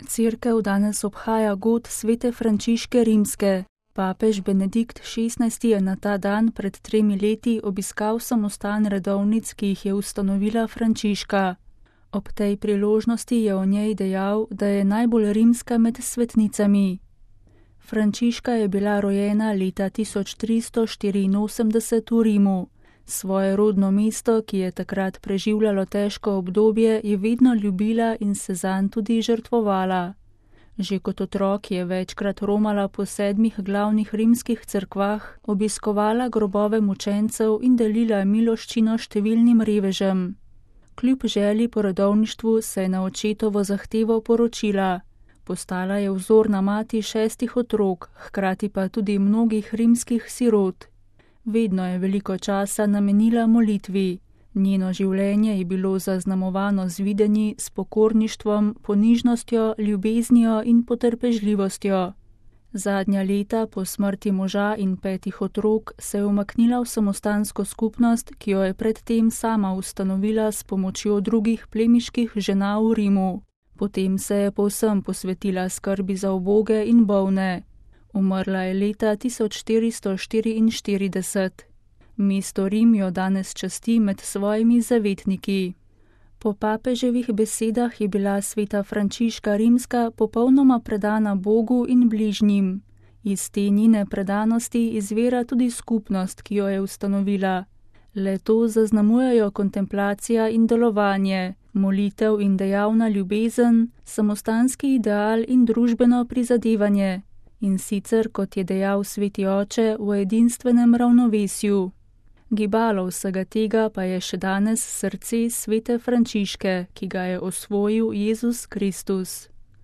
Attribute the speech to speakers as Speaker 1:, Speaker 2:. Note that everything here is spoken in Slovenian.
Speaker 1: Cerkev danes obhaja god svete Frančiške Rimske. Papež Benedikt XVI je na ta dan pred 3 leti obiskal samostan redovnic, ki jih je ustanovila Frančiška. Ob tej priložnosti je o njej dejal, da je najbolj rimska med svetnicami. Frančiška je bila rojena leta 1384 v Rimu. Svoje rodno mesto, ki je takrat preživljalo težko obdobje, je vedno ljubila in se zanj tudi žrtvovala. Že kot otrok je večkrat romala po 7 glavnih rimskih cerkvah, obiskovala grobove mučencev in delila miloščino številnim revežem. Kljub želji po redovništvu se je na očetovo zahtevo poročila. Postala je vzorna mati 6 otrok, hkrati pa tudi mnogih rimskih sirot. Vedno je veliko časa namenila molitvi. Njeno življenje je bilo zaznamovano z videnji, s pokorništvom, ponižnostjo, ljubeznijo in potrpežljivostjo. Zadnja leta po smrti moža in 5 otrok se je umaknila v samostansko skupnost, ki jo je predtem sama ustanovila s pomočjo drugih plemiških žena v Rimu. Potem se je povsem posvetila skrbi za uboge in bolne. Umrla je leta 1444. Mesto Rim jo danes časti med svojimi zavetniki. Po papeževih besedah je bila sveta Frančiška Rimska popolnoma predana Bogu in bližnjim. Iz te njene predanosti izvira tudi skupnost, ki jo je ustanovila. Le to zaznamujejo kontemplacija in delovanje, molitev in dejavna ljubezen, samostanski ideal in družbeno prizadevanje. In sicer, kot je dejal sveti oče, v edinstvenem ravnovesju. Gibalo vsega tega pa je še danes srce svete Frančiške, ki ga je osvojil Jezus Kristus.